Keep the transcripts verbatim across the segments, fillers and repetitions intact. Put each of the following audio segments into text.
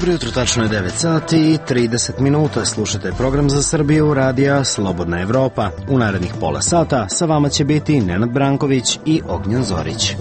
Dobro jutro, tačno je devet sati i trideset minuta. Slušate program za Srbiju radija Slobodna Evropa. U narednih pola sata sa vama će biti Nenad Branković i Ognjen Zorić.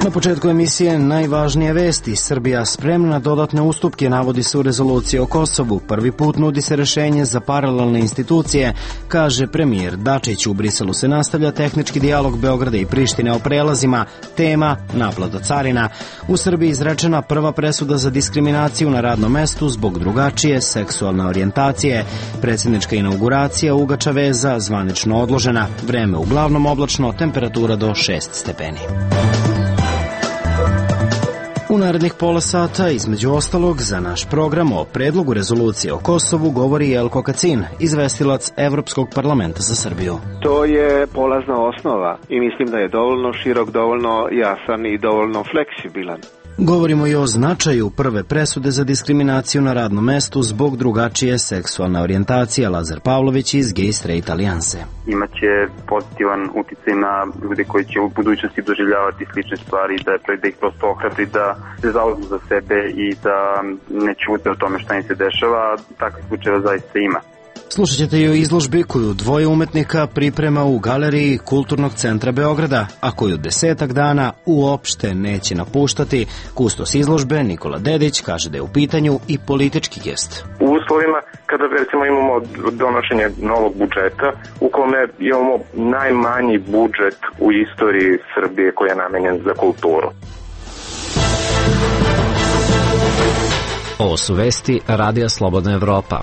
Na početku emisije najvažnije vesti. Srbija spremna na dodatne ustupke, navodi se u rezoluciji o Kosovu. Prvi put nudi se rešenje za paralelne institucije, kaže premijer Dačić. U Briselu se nastavlja tehnički dijalog Beograda i Prištine o prelazima. Tema naplata carina. U Srbiji izrečena prva presuda za diskriminaciju na radnom mestu zbog drugačije seksualne orijentacije. Predsjednička inauguracija Ugača veza zvanično odložena. Vreme uglavnom oblačno, temperatura do šest stepeni. U narednih pola sata, između ostalog, za naš program o predlogu rezolucije o Kosovu govori Jelko Kacin, izvestilac Evropskog parlamenta za Srbiju. To je polazna osnova i mislim da je dovoljno širok, dovoljno jasan i dovoljno fleksibilan. Govorimo i o značaju prve presude za diskriminaciju na radnom mestu zbog drugačije seksualne orijentacije. Lazar Pavlović iz Gay Straight Alijanse. Imaće pozitivan uticaj na ljude koji će u budućnosti doživljavati slične stvari, da, da ih prosto ohrabri da se zauzmu za sebe i da ne ćute o tome šta im se dešava. Takvih slučajeva zaista ima. Slušat ćete i o izložbi koju dvoje umetnika priprema u galeriji Kulturnog centra Beograda, a koju desetak dana uopšte neće napuštati. Kustos izložbe Nikola Dedić kaže da je u pitanju i politički gest. U uslovima kada recimo imamo donošenje novog budžeta u kome imamo najmanji budžet u istoriji Srbije koji je namenjen za kulturu. Ovo su vesti Radija Slobodna Evropa.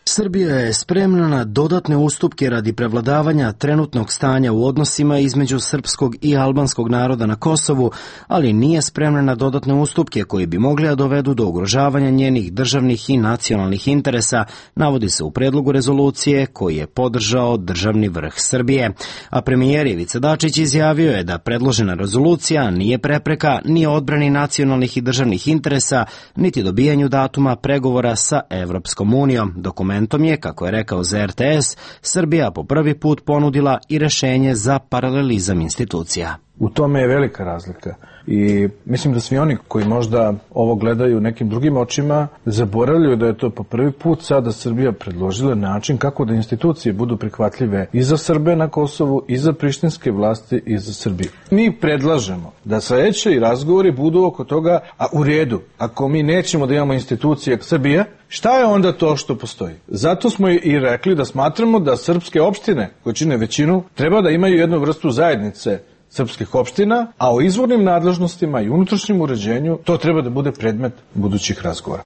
Srbija je spremna na dodatne ustupke radi prevladavanja trenutnog stanja u odnosima između srpskog i albanskog naroda na Kosovu, ali nije spremna na dodatne ustupke koji bi mogli da dovedu do ugrožavanja njenih državnih i nacionalnih interesa, navodi se u predlogu rezolucije koji je podržao državni vrh Srbije. A premijer Ivica Dačić izjavio je da predložena rezolucija nije prepreka ni odbrani nacionalnih i državnih interesa, niti dobijanju datuma pregovora sa Evropskom unijom. Dokument Tom je, kako je rekao za R T S, Srbija po prvi put ponudila i rešenje za paralelizam institucija. U tome je velika razlika i mislim da svi oni koji možda ovo gledaju nekim drugim očima zaboravljaju da je to po prvi put sada Srbija predložila način kako da institucije budu prihvatljive i za Srbe na Kosovu, i za prištinske vlasti, i za Srbiju. Mi predlažemo da sledeći razgovori budu oko toga, a u redu, ako mi nećemo da imamo institucije Srbije, šta je onda to što postoji? Zato smo i rekli da smatramo da srpske opštine, koje čine većinu, treba da imaju jednu vrstu zajednice srpskih opština, a o izvornim nadležnostima i unutrašnjem uređenju to treba da bude predmet budućih razgovora.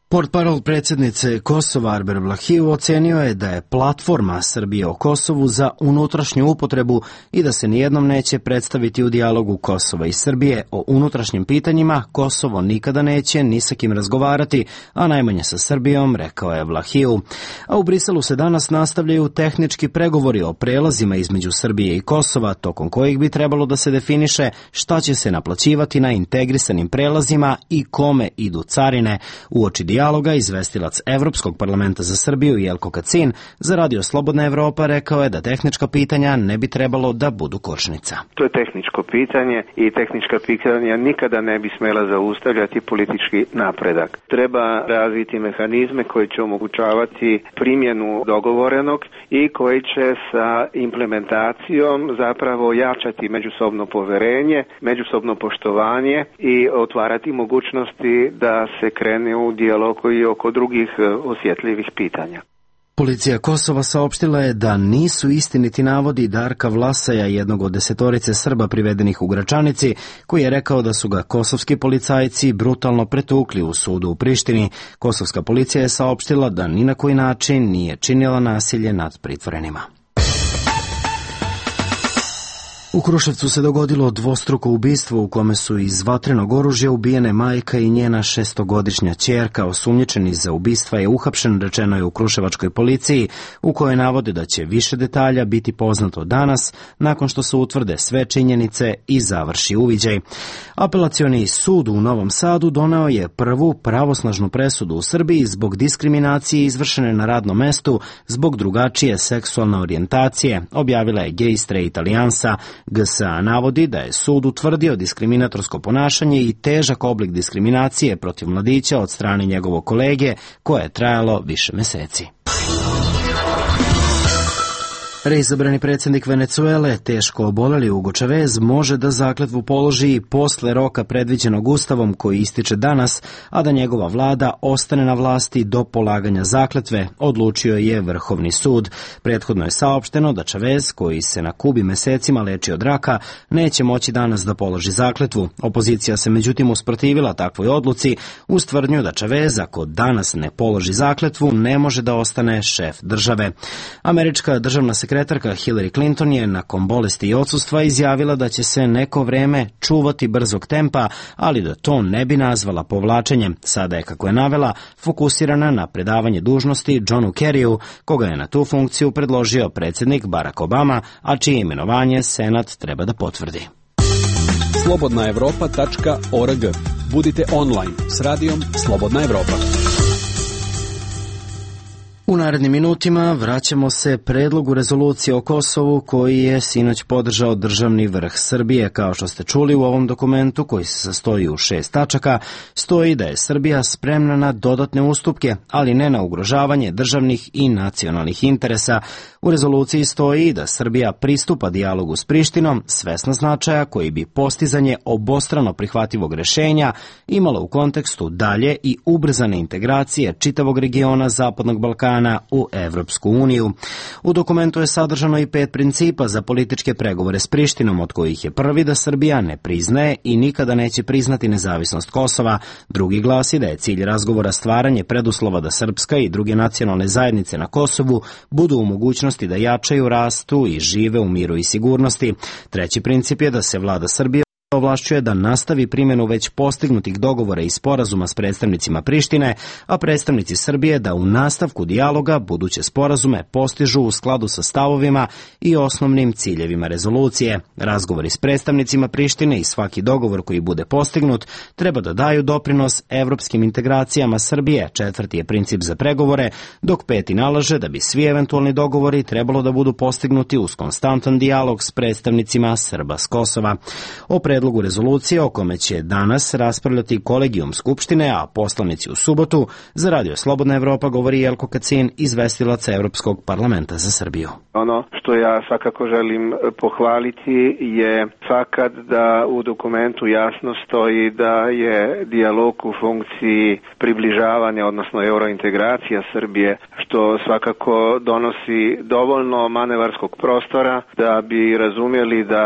Portparol predsjednice Kosova Arber Vlahiju ocenio je da je platforma Srbije o Kosovu za unutrašnju upotrebu i da se nijednom neće predstaviti u dijalogu Kosova i Srbije o unutrašnjim pitanjima. Kosovo nikada neće ni sa kim razgovarati, a najmanje sa Srbijom, rekao je Vlahiju. A u Briselu se danas nastavljaju tehnički pregovori o prelazima između Srbije i Kosova, tokom kojih bi trebalo da se definiše šta će se naplaćivati na integrisanim prelazima i kome idu carine. Uoči dijaloga izvestilac Evropskog parlamenta za Srbiju Jelko Kacin za Radio Slobodna Evropa rekao je da tehnička pitanja ne bi trebalo da budu kočnica. To je tehničko pitanje i tehnička pitanja nikada ne bi smela zaustavljati politički napredak. Treba razviti mehanizme koji će omogućavati primjenu dogovorenog i koji će sa implementacijom zapravo jačati međusobno poverenje, međusobno poštovanje i otvarati mogućnosti da se krene u dijalog i oko drugih osjetljivih pitanja. Policija Kosova saopštila je da nisu istiniti navodi Darka Vlasaja, jednog od desetorice Srba privedenih u Gračanici, koji je rekao da su ga kosovski policajci brutalno pretukli u sudu u Prištini. Kosovska policija je saopštila da ni na koji način nije činila nasilje nad pritvorenima. U Kruševcu se dogodilo dvostruko ubistvo u kome su iz vatrenog oružja ubijene majka i njena šestogodišnja ćerka. Osumnjičeni za ubistva je uhapšen, rečeno je u kruševačkoj policiji, u kojoj navode da će više detalja biti poznato danas nakon što se utvrde sve činjenice i završi uviđaj. Apelacioni sud u Novom Sadu doneo je prvu pravosnažnu presudu u Srbiji zbog diskriminacije izvršene na radnom mestu zbog drugačije seksualne orijentacije, objavila je Gay Straight Alijansa. G S A navodi da je sud utvrdio diskriminatorsko ponašanje i težak oblik diskriminacije protiv mladića od strane njegovog kolege, koje je trajalo više meseci. Reizabrani predsjednik Venecuele, teško oboleli Hugo Chavez, može da zakletvu položi i posle roka predviđenog ustavom koji ističe danas, a da njegova vlada ostane na vlasti do polaganja zakletve, odlučio je Vrhovni sud. Prethodno je saopšteno da Chavez, koji se na Kubi mesecima leči od raka, neće moći danas da položi zakletvu. Opozicija se međutim usprotivila takvoj odluci uz tvrdnju da Chavez, ako danas ne položi zakletvu, ne može da ostane šef države. Američka državna sekretarka Sekretarka Hillary Clinton je nakon bolesti i odsustva izjavila da će se neko vreme čuvati brzog tempa, ali da to ne bi nazvala povlačenjem. Sada je, kako je navela, fokusirana na predavanje dužnosti Johnu Kerryu, koga je na tu funkciju predložio predsjednik Barack Obama, a čije imenovanje Senat treba da potvrdi. slobodna evropa tačka org. Budite online s radijom Slobodna Evropa. U narednim minutima vraćamo se predlogu rezolucije o Kosovu koji je sinoć podržao državni vrh Srbije. Kao što ste čuli, u ovom dokumentu, koji se sastoji u šest tačaka, stoji da je Srbija spremna na dodatne ustupke, ali ne na ugrožavanje državnih i nacionalnih interesa. U rezoluciji stoji da Srbija pristupa dijalogu s Prištinom, svesna značaja koji bi postizanje obostrano prihvatljivog rešenja imalo u kontekstu dalje i ubrzane integracije čitavog regiona Zapadnog Balkana u Evropsku uniju. U dokumentu je sadržano i pet principa za političke pregovore s Prištinom, od kojih je prvi da Srbija ne priznaje i nikada neće priznati nezavisnost Kosova. Drugi glasi da je cilj razgovora stvaranje preduslova da srpska i druge nacionalne zajednice na Kosovu budu u mogućnosti da jačaju, rastu i žive u miru i sigurnosti. Treći princip je da se vlada Srbije ovlašćuje da nastavi primjenu već postignutih dogovora i sporazuma s predstavnicima Prištine, a predstavnici Srbije da u nastavku dijaloga buduće sporazume postižu u skladu sa stavovima i osnovnim ciljevima rezolucije. Razgovori s predstavnicima Prištine i svaki dogovor koji bude postignut treba da daju doprinos evropskim integracijama Srbije. Četvrti je princip za pregovore, dok peti nalaže da bi svi eventualni dogovori trebalo da budu postignuti uz konstantan dijalog s predstavnicima Srba s Kosova. O predlogu rezolucije o kome će danas raspravljati kolegijum Skupštine, a poslanici u subotu, za Radio Slobodna Evropa govori Jelko Kacin, izvestilac Evropskog parlamenta za Srbiju. Ono što ja svakako želim pohvaliti je fakat da u dokumentu jasno stoji da je dijalog u funkciji približavanja, odnosno eurointegracija Srbije, što svakako donosi dovoljno manevarskog prostora da bi razumjeli da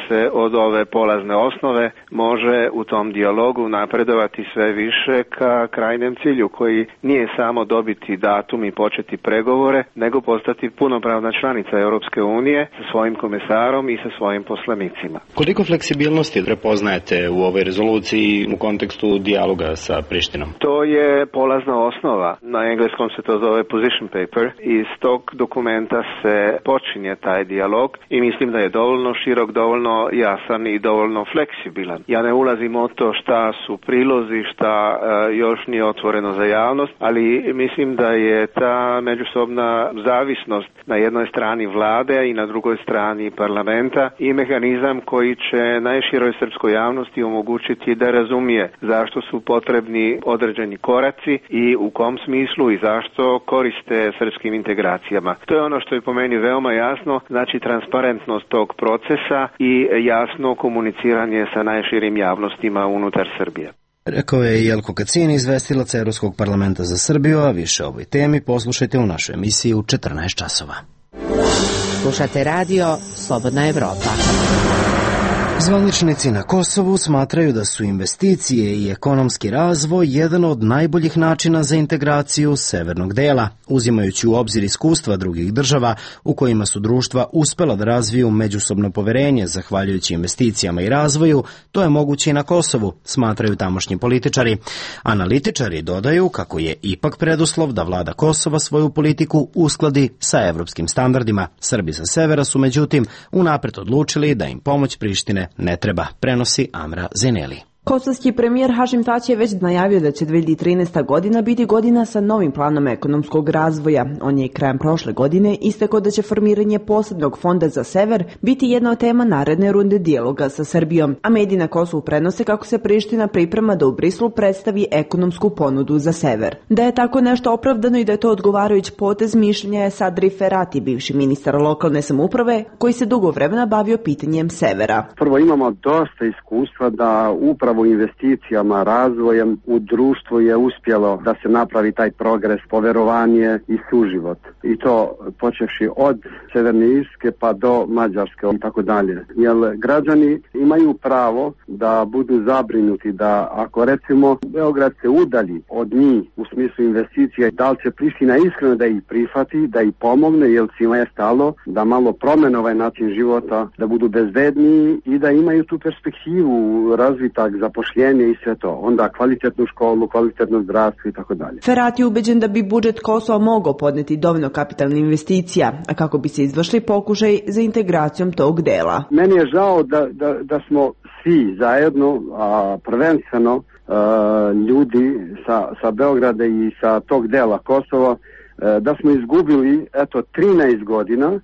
se od ove polazne osnove može u tom dijalogu napredovati sve više ka krajnjem cilju, koji nije samo dobiti datum i početi pregovore, nego postati punopravna članica Europske unije sa svojim komesarom i sa svojim poslanicima. Koliko fleksibilnosti prepoznajete u ovoj rezoluciji u kontekstu dijaloga sa Prištinom? To je polazna osnova. Na engleskom se to zove position paper. Iz tog dokumenta se počinje taj dijalog i mislim da je dovoljno širok, dovoljno jasan i dovoljno fleksibilan. Ja ne ulazim u to šta su prilozi, šta uh, još nije otvoreno za javnost, ali mislim da je ta međusobna zavisnost na jednoj strani vlade i na drugoj strani parlamenta i mehanizam koji će najširoj srpskoj javnosti omogućiti da razumije zašto su potrebni određeni koraci i u kom smislu i zašto koriste srpskim integracijama. To je ono što je po meni veoma jasno, znači transparentnost tog procesa i jasno komuniciranje sa najširim javnostima unutar Srbije. Rekao je Jelko Kacin, izvestilac Evropskog parlamenta za Srbiju, a više o ovoj temi poslušajte u našoj emisiji u četrnaest časova. Slušate radio Slobodna Evropa. Zvaničnici na Kosovu smatraju da su investicije i ekonomski razvoj jedan od najboljih načina za integraciju severnog dela, uzimajući u obzir iskustva drugih država u kojima su društva uspela da razviju međusobno poverenje zahvaljujući investicijama i razvoju. To je moguće i na Kosovu, smatraju tamošnji političari. Analitičari dodaju kako je ipak preduslov da vlada Kosova svoju politiku uskladi sa evropskim standardima. Srbi sa severa su međutim unapred odlučili da im pomoć Prištine ne treba, prenosi Amra Zeneli. Kosovski premijer Hašim Tači je već najavio da će dve hiljade trinaesta godina biti godina sa novim planom ekonomskog razvoja. On je i krajem prošle godine istakao da će formiranje posebnog fonda za sever biti jedna od tema naredne runde dijaloga sa Srbijom, a mediji na Kosovu prenose kako se Priština priprema da u Briselu predstavi ekonomsku ponudu za sever. Da je tako nešto opravdano i da je to odgovarajući potez, mišljenja je Sadri Ferati, bivši ministar lokalne samouprave, koji se dugo vremena bavio pitanjem severa. Prvo, imamo dosta iskustva da upravo investicijama, razvojem u društvu je uspjelo da se napravi taj progres, poverovanje i suživot. I to počevši od Severne Irske pa do Mađarske i tako dalje. Jer građani imaju pravo da budu zabrinuti da ako recimo Beograd se udalji od njih u smislu investicija, da li će Priština iskreno da ih prihvati, da ih pomogne, jer svima je stalo da malo promene ovaj način života, da budu bezbedniji i da imaju tu perspektivu, razvitak, zapošljenje i sve to. Onda kvalitetnu školu, kvalitetno zdravstvo i tako dalje. Ferati je ubeđen da bi budžet Kosova mogao podneti dovoljno kapitalnih investicija, a kako bi se izvršili pokušaj za integracijom tog dela. Meni je žao da, da, da smo svi zajedno, a prvenstveno a, ljudi sa, sa Beograda i sa tog dela Kosova, a, da smo izgubili eto trinaest godina.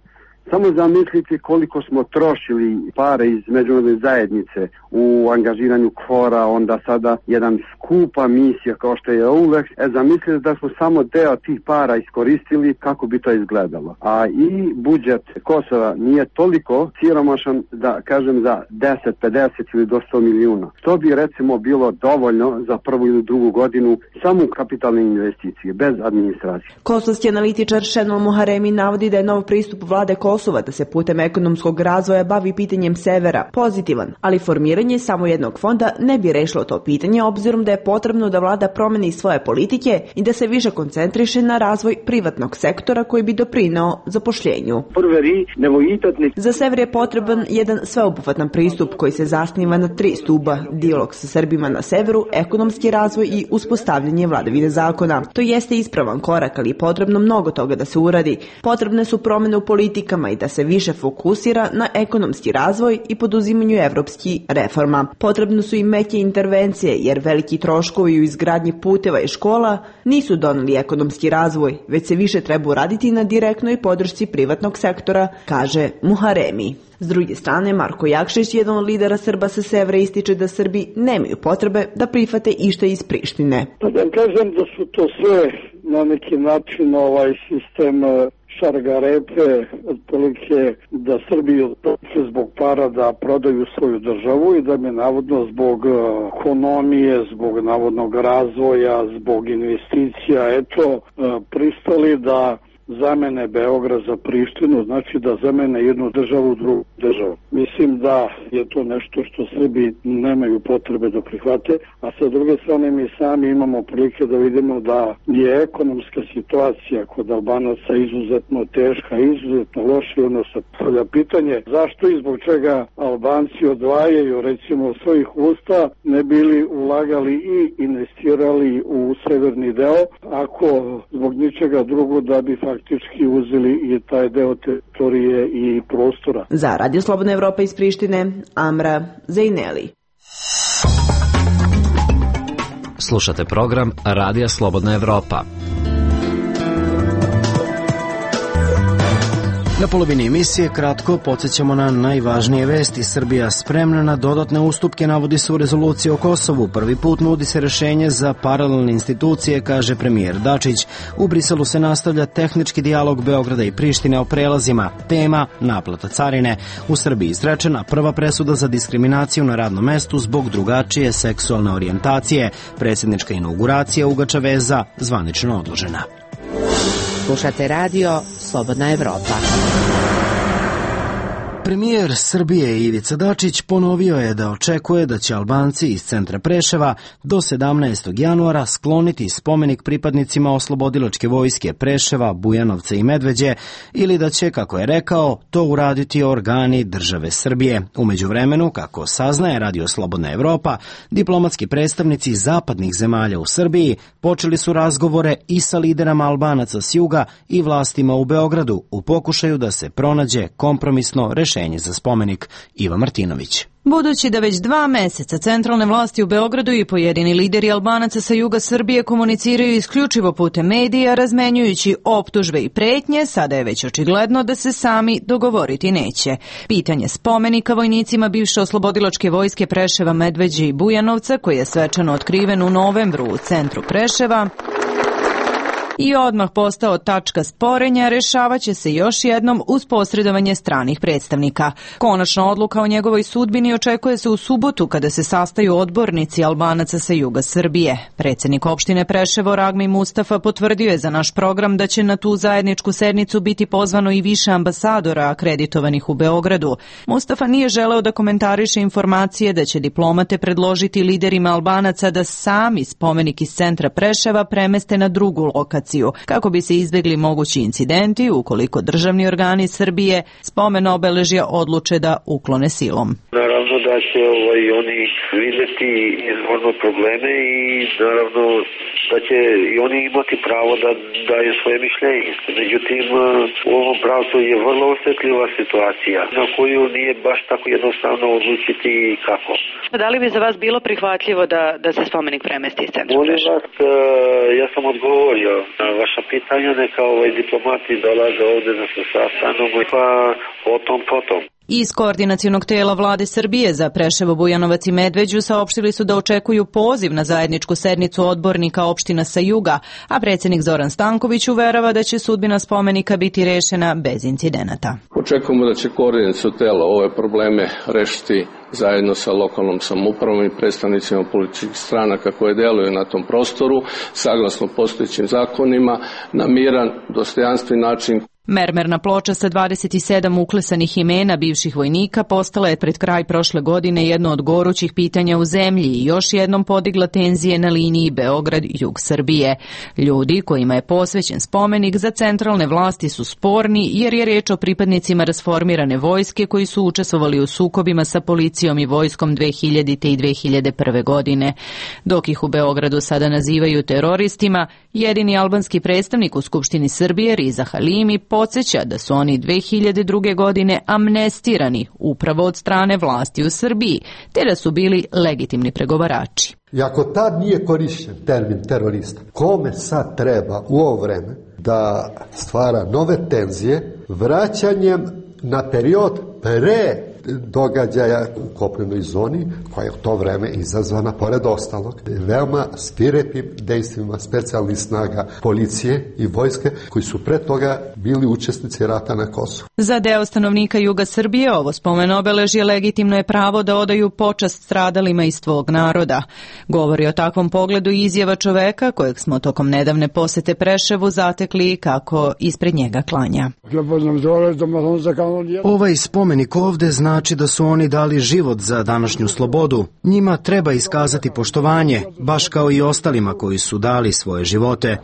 Samo zamislite koliko smo trošili pare iz međunarodne zajednice u angažiranju KFOR-a, onda sada jedan skupa misija kao što je ULEX. E, zamislite da smo samo deo tih para iskoristili, kako bi to izgledalo. A i budžet Kosova nije toliko siromašan da kažem za deset, pedeset ili do sto milijuna. To bi recimo bilo dovoljno za prvu ili drugu godinu samo kapitalne investicije, bez administracije. Kosovski analitičar Šenol Muharemi navodi da je nov pristup vlade Kosova Kosova da se putem ekonomskog razvoja bavi pitanjem severa pozitivan, ali formiranje samo jednog fonda ne bi rešilo to pitanje, obzirom da je potrebno da vlada promeni svoje politike i da se više koncentriše na razvoj privatnog sektora koji bi doprineo zapošljenju. Za sever je potreban jedan sveobuhvatan pristup koji se zasniva na tri stuba: dijalog sa Srbima na severu, ekonomski razvoj i uspostavljanje vladavine zakona. To jeste ispravan korak, ali je potrebno mnogo toga da se uradi. Potrebne su promene u politikama i da se više fokusira na ekonomski razvoj i poduzimanju evropskih reforma. Potrebno su i meke intervencije, jer veliki troškovi u izgradnji puteva i škola nisu doneli ekonomski razvoj, već se više treba uraditi na direktnoj podršci privatnog sektora, kaže Muharemi. S druge strane, Marko Jakšić, jedan od lidera Srba sa severa, ističe da Srbi nemaju potrebe da prihvate išta iz Prištine. Pa da kažem da su to sve na neki način ovaj sistem šargarepe, otprilike da Srbi odluče zbog para da prodaju svoju državu i da mi navodno zbog ekonomije, zbog navodnog razvoja, zbog investicija, eto, pristali da zamene Beograd za Prištinu, znači da zamene jednu državu u drugu državu. Mislim da je to nešto što Srbi nemaju potrebe da prihvate, a sa druge strane mi sami imamo prilike da vidimo da je ekonomska situacija kod Albanaca izuzetno teška, izuzetno loša, i ono se postavlja pitanje zašto i zbog čega Albanci odvajaju recimo svojih usta ne bili ulagali i investirali u severni deo, ako zbog ničega drugo da bi faktički uzeli i taj deo teritorije i prostora. Za Radio Slobodna Evropa iz Prištine, Amra Zejneli. Slušate program Radija Slobodna Evropa. Na polovini emisije kratko podsjećamo na najvažnije vesti. Srbija spremna na dodatne ustupke, navodi se u rezoluciji o Kosovu. Prvi put nudi se rešenje za paralelne institucije, kaže premijer Dačić. U Briselu se nastavlja tehnički dijalog Beograda i Prištine o prelazima. Tema naplata carine. U Srbiji izrečena prva presuda za diskriminaciju na radnom mestu zbog drugačije seksualne orijentacije. Predsjednička inauguracija Ugača veza zvanično odložena. Slušate radio Slobodna Evropa. Premijer Srbije Ivica Dačić ponovio je da očekuje da će Albanci iz centra Preševa do sedamnaestog januara skloniti spomenik pripadnicima oslobodilačke vojske Preševa, Bujanovca i Medveđe, ili da će, kako je rekao, to uraditi organi države Srbije. U međuvremenu, kako saznaje Radio Slobodna Evropa, diplomatski predstavnici zapadnih zemalja u Srbiji počeli su razgovore i sa liderama Albanaca s juga i vlastima u Beogradu u pokušaju da se pronađe kompromisno rešenje rešenje za spomenik. Iva Martinović. Budući da već dva meseca centralne vlasti u Beogradu i pojedini lideri Albanaca sa juga Srbije komuniciraju isključivo putem medija, razmenjujući optužbe i pretnje, sada je već očigledno da se sami dogovoriti neće. Pitanje spomenika vojnicima bivše oslobodilačke vojske Preševa, Medveđe i Bujanovca, koji je svečano otkriven u novembru u centru Preševa i odmah postao tačka sporenja, rešavaće se još jednom uz posredovanje stranih predstavnika. Konačna odluka o njegovoj sudbini očekuje se u subotu kada se sastaju odbornici Albanaca sa juga Srbije. Predsednik opštine Preševo Ragmi Mustafa potvrdio je za naš program da će na tu zajedničku sednicu biti pozvano i više ambasadora akreditovanih u Beogradu. Mustafa nije želeo da komentariše informacije da će diplomate predložiti liderima Albanaca da sami spomenik iz centra Preševa premeste na drugu lokaciju, kako bi se izbegli mogući incidenti ukoliko državni organi Srbije spomen obeležja odluče da uklone silom. Naravno da će ovaj, oni vidjeti izvorno probleme i naravno da će i oni imati pravo da daju svoje mišljenje. Međutim, u ovom pravcu je vrlo osjetljiva situacija na koju nije baš tako jednostavno odlučiti kako. Da li bi za vas bilo prihvatljivo da, da se spomenik premesti iz centra Molim Preševa? vas, ja sam odgovorio na vaša pitanja, neka ovaj diplomati dolaze ovde da se sastanemo, pa potom, potom. Iz koordinacionog tela vlade Srbije za Preševo, Bujanovac i Medveđu saopštili su da očekuju poziv na zajedničku sednicu odbornika opština sa juga, a predsjednik Zoran Stanković uverava da će sudbina spomenika biti rešena bez incidenata. Očekujemo da će koordinaciono telo ove probleme rešiti zajedno sa lokalnom samoupravom i predstavnicima političkih stranaka koje deluju na tom prostoru, saglasno postojećim zakonima, na miran, dostojanstven način. Mermerna ploča sa dvadeset sedam uklesanih imena bivših vojnika postala je pred kraj prošle godine jedno od gorućih pitanja u zemlji i još jednom podigla tenzije na liniji Beograd-jug Srbije. Ljudi kojima je posvećen spomenik za centralne vlasti su sporni jer je reč o pripadnicima rasformirane vojske koji su učestvovali u sukobima sa policijom i vojskom dve hiljadite i dve hiljade prve. godine. Dok ih u Beogradu sada nazivaju teroristima, jedini albanski predstavnik u Skupštini Srbije, Riza Halimi, podsjeća da su oni dve hiljade druge. godine amnestirani upravo od strane vlasti u Srbiji, te da su bili legitimni pregovarači. I ako tad nije korišćen termin terorista, kome sad treba u ovo vreme da stvara nove tenzije vraćanjem na period pre događaja u kopnenoj zoni, koja je u to vreme izazvana, pored ostalog, veoma svirepim dejstvima specijalnih snaga policije i vojske, koji su pre toga bili učesnici rata na Kosovu. Za deo stanovnika juga Srbije ovo spomen obeležje legitimno je pravo da odaju počast stradalima iz svog naroda. Govori o takvom pogledu i izjava čoveka kojeg smo tokom nedavne posete Preševu zatekli kako ispred njega klanja. Ovaj spomenik ovde znači da su oni dali život za današnju slobodu. Njima treba iskazati poštovanje, baš kao i ostalima koji su dali svoje živote.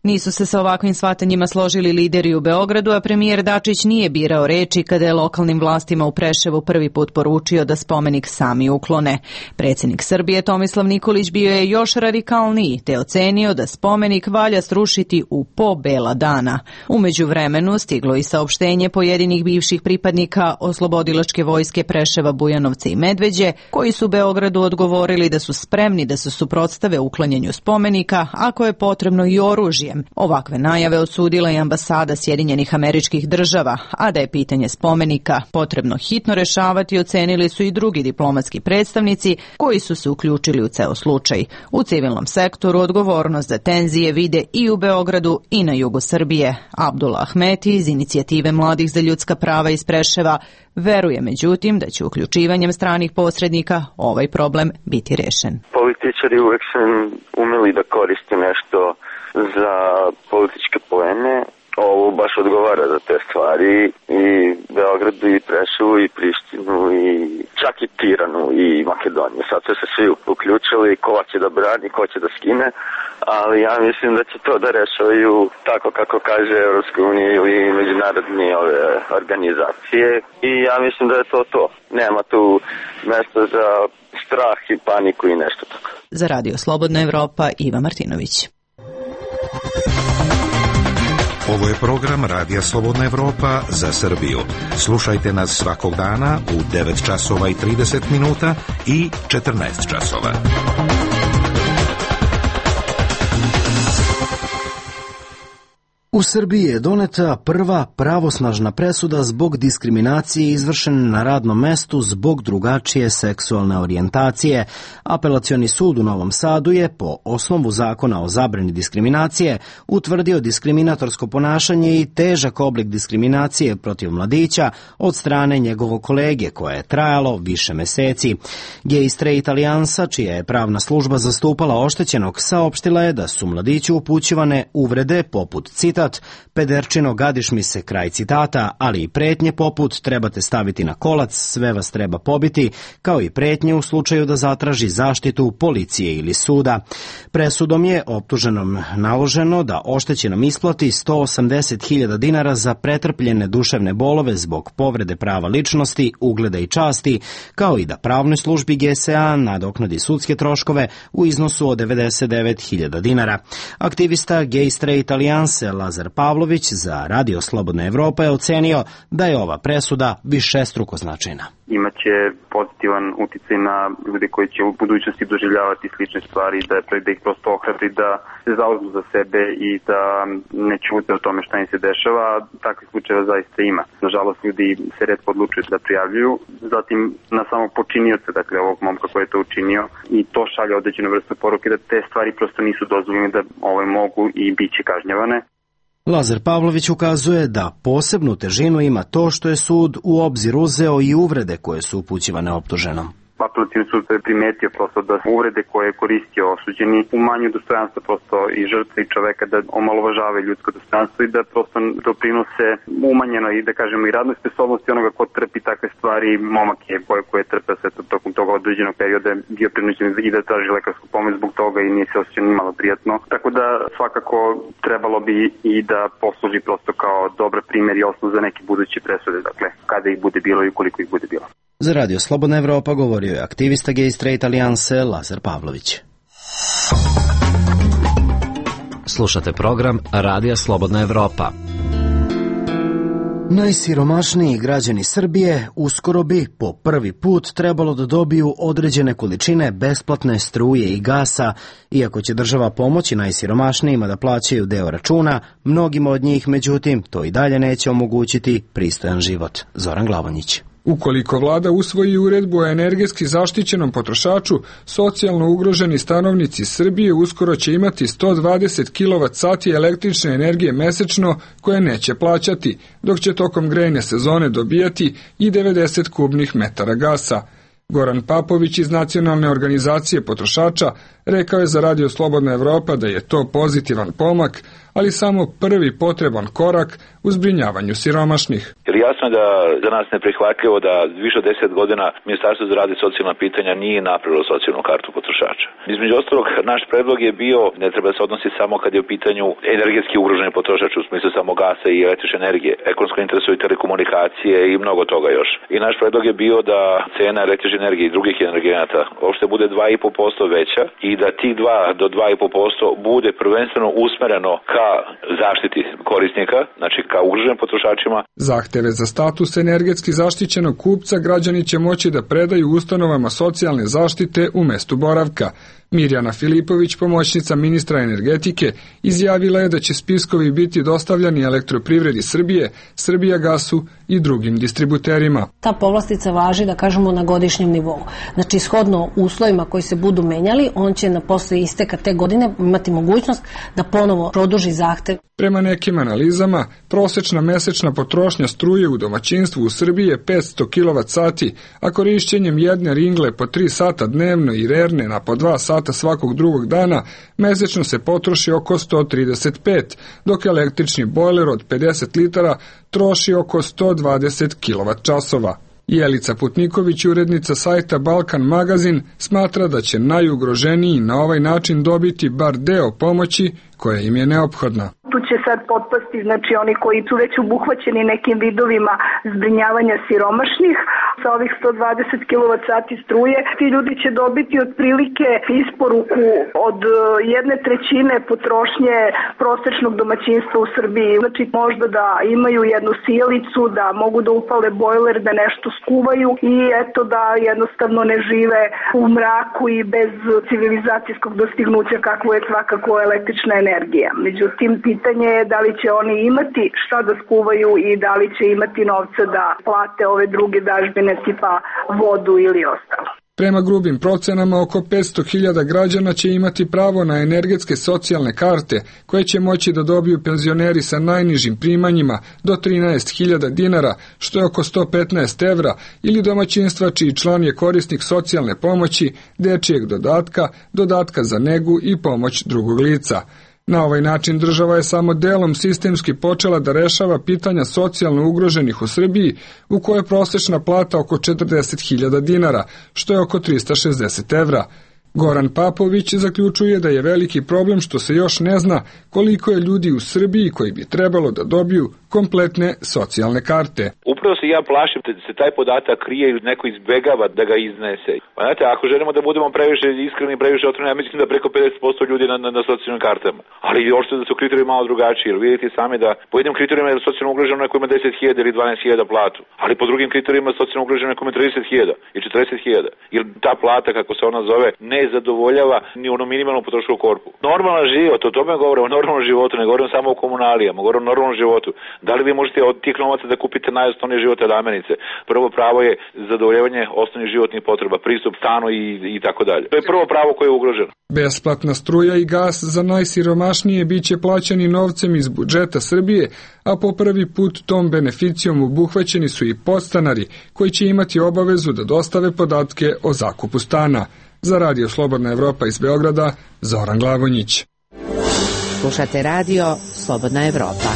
Nisu se sa ovakvim shvatanjima složili lideri u Beogradu, a premijer Dačić nije birao reči kada je lokalnim vlastima u Preševu prvi put poručio da spomenik sami uklone. Predsjednik Srbije Tomislav Nikolić bio je još radikalniji, te ocenio da spomenik valja srušiti u po bela dana. U međuvremenu stiglo i saopštenje pojedinih bivših pripadnika oslobodilačke vojske Preševa, Bujanovca i Medveđe, koji su Beogradu odgovorili da su spremni da se suprotstave uklanjanju spomenika, ako je potrebno i oružjem. Ovakve najave osudila i ambasada Sjedinjenih Američkih Država, a da je pitanje spomenika potrebno hitno rešavati, ocenili su i drugi diplomatski predstavnici koji su se uključili u ceo slučaj. U civilnom sektoru odgovornost za tenzije vide i u Beogradu i na jugu Srbije. Abdullah Ahmeti iz Inicijative mladih za ljudska prava iz Preševa veruje međutim da će uključivanjem stranih posrednika ovaj problem biti rešen. Političari uvek su umeli da koriste nešto za političke poene. Ovo baš odgovara za te stvari i Beogradu i Preševu i Prištinu i čak i Tiranu i Makedoniju. Sad su se svi uključili, ko će da brani, ko će da skine, ali ja mislim da će to da rešavaju tako kako kaže Evropska unija ili međunarodne ove organizacije i ja mislim da je to to. Nema tu mesta za strah i paniku i nešto tako. Za Radio Slobodna Evropa, Iva Martinović. Ovo je program Radija Slobodna Evropa za Srbiju. Slušajte nas svakog dana u devet časova i trideset minuta i četrnaest časova. U Srbiji je doneta prva pravosnažna presuda zbog diskriminacije izvršene na radnom mestu zbog drugačije seksualne orijentacije. Apelacioni sud u Novom Sadu je, po osnovu zakona o zabrani diskriminacije, utvrdio diskriminatorsko ponašanje i težak oblik diskriminacije protiv mladića od strane njegovog kolege, koje je trajalo više meseci. Gay Straight Alijansa, čija je pravna služba zastupala oštećenog, saopštila je da su mladiću upućivane uvrede poput citat "Pederčino, gadiš mi se", kraj citata, ali i pretnje poput "trebate staviti na kolac, sve vas treba pobiti", kao i pretnje u slučaju da zatraži zaštitu policije ili suda. Presudom je optuženom naloženo da oštećenom isplati sto osamdeset hiljada dinara za pretrpljene duševne bolove zbog povrede prava ličnosti, ugleda i časti, kao i da pravnoj službi G S A nadoknadi sudske troškove u iznosu od devedeset devet hiljada dinara. Aktivista Gay Straight Alijanse Lazar Pavlović za Radio Slobodna Evropa je ocenio da je ova presuda višestruko značajna. Imaće pozitivan uticaj na ljude koji će u budućnosti doživljavati slične stvari, da, da ih prosto ohrabri da se zauzmu za sebe i da ne ćute o tome šta im se dešava. Takvih slučajeva zaista ima. Nažalost, ljudi se retko odlučuju da prijavljuju. Zatim na samog počinioca, dakle ovog momka koji je to učinio, i to šalje određenu vrstu poruke da te stvari prosto nisu dozvoljene, da ovaj mogu i bit će kažnjavane. Lazar Pavlović ukazuje da posebnu težinu ima to što je sud u obzir uzeo i uvrede koje su upućivane optuženom. Apelacioni sud je primetio prosto da uvrede koje je koristio osuđeni umanjuju dostojanstvo prosto i žrtve i čoveka, da omalovažavaju ljudsko dostojanstvo i da prosto doprinose umanjeno i da kažemo i radnoj sposobnosti onoga ko trpi takve stvari. Momak je koji koje je trpeo sve to tokom toga određenog perioda bio prinuđen i da traži lekarsku pomoć zbog toga i nije se osjećao ni malo prijatno. Tako da svakako trebalo bi i da posluži prosto kao dobar primjer i osnov za neke buduće presude, dakle kada ih bude bilo i koliko ih bude bilo. Za Radio Slobodna Evropa govorio je aktivista Gay Straight Alijanse Lazar Pavlović. Slušate program Radija Slobodna Evropa. Najsiromašniji građani Srbije uskoro bi po prvi put trebalo da dobiju određene količine besplatne struje i gasa. Iako će država pomoći najsiromašnijima da plaćaju deo računa, mnogima od njih, međutim, to i dalje neće omogućiti pristojan život. Zoran Glavonjić. Ukoliko vlada usvoji uredbu o energetski zaštićenom potrošaču, socijalno ugroženi stanovnici Srbije uskoro će imati sto dvadeset kilovat sati električne energije mesečno koje neće plaćati, dok će tokom grejne sezone dobijati i devedeset kubnih metara gasa. Goran Papović iz Nacionalne organizacije potrošača rekao je za Radio Slobodna Evropa da je to pozitivan pomak, ali samo prvi potreban korak u zbrinjavanju siromašnih. Jer jasno je da za nas neprihvatljivo da više od deset godina Ministarstvo za rad i socijalna pitanja nije napravilo socijalnu kartu potrošača. Između ostalog, naš predlog je bio, ne treba se odnosi samo kad je u pitanju energetski ugroženi potrošač u smislu samo gasa i električne energije. Ekonomsko interesuju telekomunikacije i mnogo toga još. I naš predlog je bio da cena električne energije i drugih energenata uopšte bude dva i po posto veća i da tih dva do dva i po posto bude prvenstveno usmereno ka zaštiti korisnika, znači ka ugroženim potrošačima. Zahteve za status energetski zaštićenog kupca građani će moći da predaju ustanovama socijalne zaštite u mestu boravka. Mirjana Filipović, pomoćnica ministra energetike, izjavila je da će spiskovi biti dostavljani Elektroprivredi Srbije, Srbijagasu i drugim distributerima. Ta povlastica važi, da kažemo, na godišnjem nivou. Znači, shodno uslovima koji se budu menjali, on će na posle isteka te godine imati mogućnost da ponovo produži zahtev. Prema nekim analizama, prosečna mesečna potrošnja struje u domaćinstvu u Srbiji je petsto kilovat sati, a korišćenjem jedne ringle po tri sata dnevno i rerne na po dva sata svakog drugog dana, mesečno se potroši oko sto trideset pet, dok električni bojler od pedeset litara troši oko sto dvadeset kilovat časova. Jelica Putniković, urednica sajta Balkan Magazin, smatra da će najugroženiji na ovaj način dobiti bar deo pomoći koja im je neophodna. Tu će sad potpasti, znači oni koji su već obuhvaćeni nekim vidovima zbrinjavanja siromašnih sa ovih sto dvadeset kilovat sati struje. Ti ljudi će dobiti otprilike isporuku od jedne trećine potrošnje prosečnog domaćinstva u Srbiji. Znači možda da imaju jednu sijalicu, da mogu da upale bojler, da nešto skuvaju i eto da jednostavno ne žive u mraku i bez civilizacijskog dostignuća kakvo je svakako električna energija. Međutim, pitanje je da li će oni imati šta da skuvaju i da li će imati novca da plate ove druge dažbine tipa vodu ili ostalo. Prema grubim procenama, oko petsto hiljada građana će imati pravo na energetske socijalne karte, koje će moći da dobiju penzioneri sa najnižim primanjima do trinaest hiljada dinara, što je oko sto petnaest evra, ili domaćinstva čiji član je korisnik socijalne pomoći, dečijeg dodatka, dodatka za negu i pomoć drugog lica. Na ovaj način država je samo delom sistemski počela da rešava pitanja socijalno ugroženih u Srbiji, u kojoj je prosečna plata oko četrdeset hiljada dinara, što je oko trista šezdeset evra. Goran Papović zaključuje da je veliki problem što se još ne zna koliko je ljudi u Srbiji koji bi trebalo da dobiju kompletne socijalne karte. Upravo se ja plašim da se taj podatak krije ili neko izbegava da ga iznese. Pa znate, ako želimo da budemo previše iskreni i previše otvoreni, ja mislim da preko pedeset posto ljudi na, na, na socijalnim kartama. Ali ošto da su kriterijumi malo drugačiji, jer vidite sami da po jednim kriterijima je socijalno ugroženo neko ima deset hiljada ili dvanaest hiljada platu, ali po drugim kriterijima je socijalno ugroženo neko ima trideset hiljada i četrdeset hiljada. Jer ta plata, kako se ona zove, ne zadovoljava ni onu minimalnu potrošku u korpu. Normalan život, o tome govorimo, o normalnom životu, ne govorimo samo o komunalijama, govorimo o normalnom životu. Da li vi možete od tih novaca da kupite najosnovnije životne namirnice? Prvo pravo je zadovoljavanje osnovnih životnih potreba, pristup stanu i, i tako dalje. To je prvo pravo koje je ugroženo. Besplatna struja i gas za najsiromašnije biće plaćani novcem iz budžeta Srbije, a po prvi put tom beneficijom obuhvaćeni su i podstanari koji će imati obavezu da dostave podatke o zakupu stana. Za Radio Slobodna Evropa iz Beograda, Zoran Glagonić. Slušate Radio Slobodna Evropa.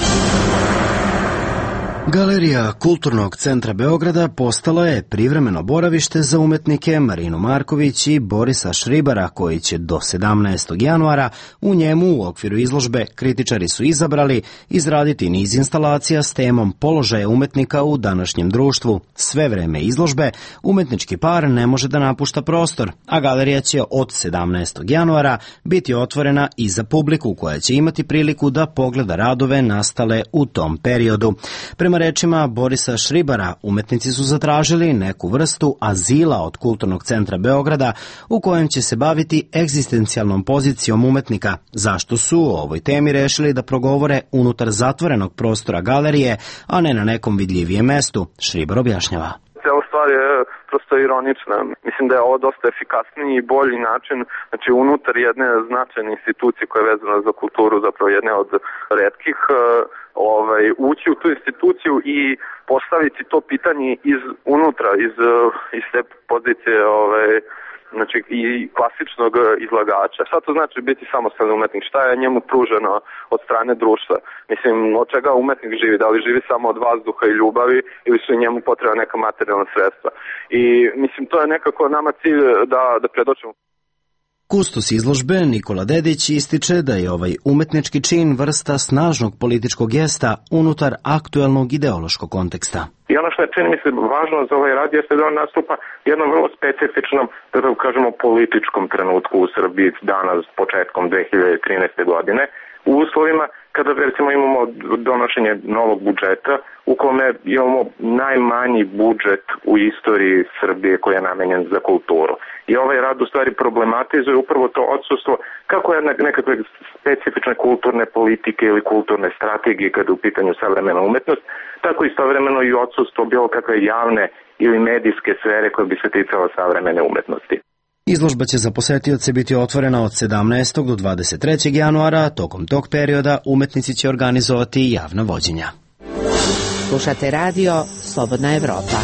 Galerija Kulturnog centra Beograda postala je privremeno boravište za umetnike Marinu Marković i Borisa Šribara, koji će do sedamnaestog januara u njemu u okviru izložbe kritičari su izabrali izraditi niz instalacija s temom položaja umetnika u današnjem društvu. Sve vreme izložbe umetnički par ne može da napušta prostor, a galerija će od sedamnaestog januara biti otvorena i za publiku koja će imati priliku da pogleda radove nastale u tom periodu. Prema rečima Borisa Šribara, umetnici su zatražili neku vrstu azila od Kulturnog centra Beograda u kojem će se baviti egzistencijalnom pozicijom umetnika, zašto su o ovoj temi rešili da progovore unutar zatvorenog prostora galerije, a ne na nekom vidljivijem mestu. Šribar objašnjava. Cijela stvar je prosto ironična. Mislim da je ovo dosta efikasniji i bolji način, znači unutar jedne značajne institucije koja je vezana za kulturu, zapravo jedne od retkih, ovaj, ući u tu instituciju i postaviti to pitanje iz unutra, iz, iz te pozicije ovaj, znači i klasičnog izlagača. Šta to znači biti samostalni umetnik? Šta je njemu pruženo od strane društva? Mislim, od čega umetnik živi? Da li živi samo od vazduha i ljubavi ili su njemu potrebna neka materijalna sredstva? I mislim, to je nekako nama cilj da, da predočimo. Kustos izložbe Nikola Dedić ističe da je ovaj umetnički čin vrsta snažnog političkog gesta unutar aktuelnog ideološkog konteksta. I ono što je, čini mi se, važno za ovaj rad jeste da on nastupa jednom vrlo specifičnom, da tako kažemo, političkom trenutku u Srbiji danas, početkom dve hiljade trinaeste. godine, u uslovima kada recimo imamo donošenje novog budžeta u kome imamo najmanji budžet u istoriji Srbije koji je namenjen za kulturu. I ovaj rad u stvari problematizuje upravo to odsustvo kako je nekakve specifične kulturne politike ili kulturne strategije kada je u pitanju savremena umetnost, tako istovremeno i odsustvo bilo kakve javne ili medijske sfere koje bi se ticala savremene umetnosti. Izložba će za posetioce biti otvorena od sedamnaestog do dvadeset trećeg januara, tokom tog perioda umetnici će organizovati javna vođenja. Slušate Radio Slobodna Evropa.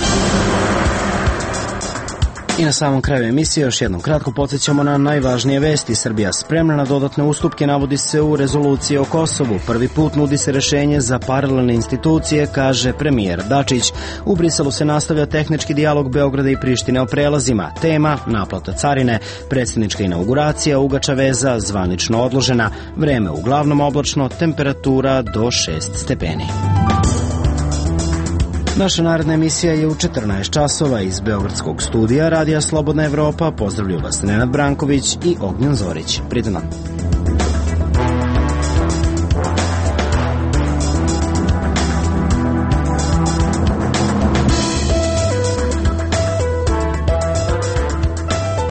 I na samom kraju emisije još jednom kratko podsjećamo na najvažnije vesti. Srbija spremna na dodatne ustupke, navodi se u rezoluciji o Kosovu. Prvi put nudi se rešenje za paralelne institucije, kaže premijer Dačić. U Briselu se nastavlja tehnički dijalog Beograda i Prištine o prelazima. Tema naplata carine, predsjednička inauguracija, Ugača veza zvanično odložena. Vreme uglavnom oblačno, temperatura do šest stepeni. Naša naredna emisija je u četrnaest časova iz Beogradskog studija Radija Slobodna Evropa. Pozdravlju vas Nenad Branković i Ognjen Zorić. Prijatno.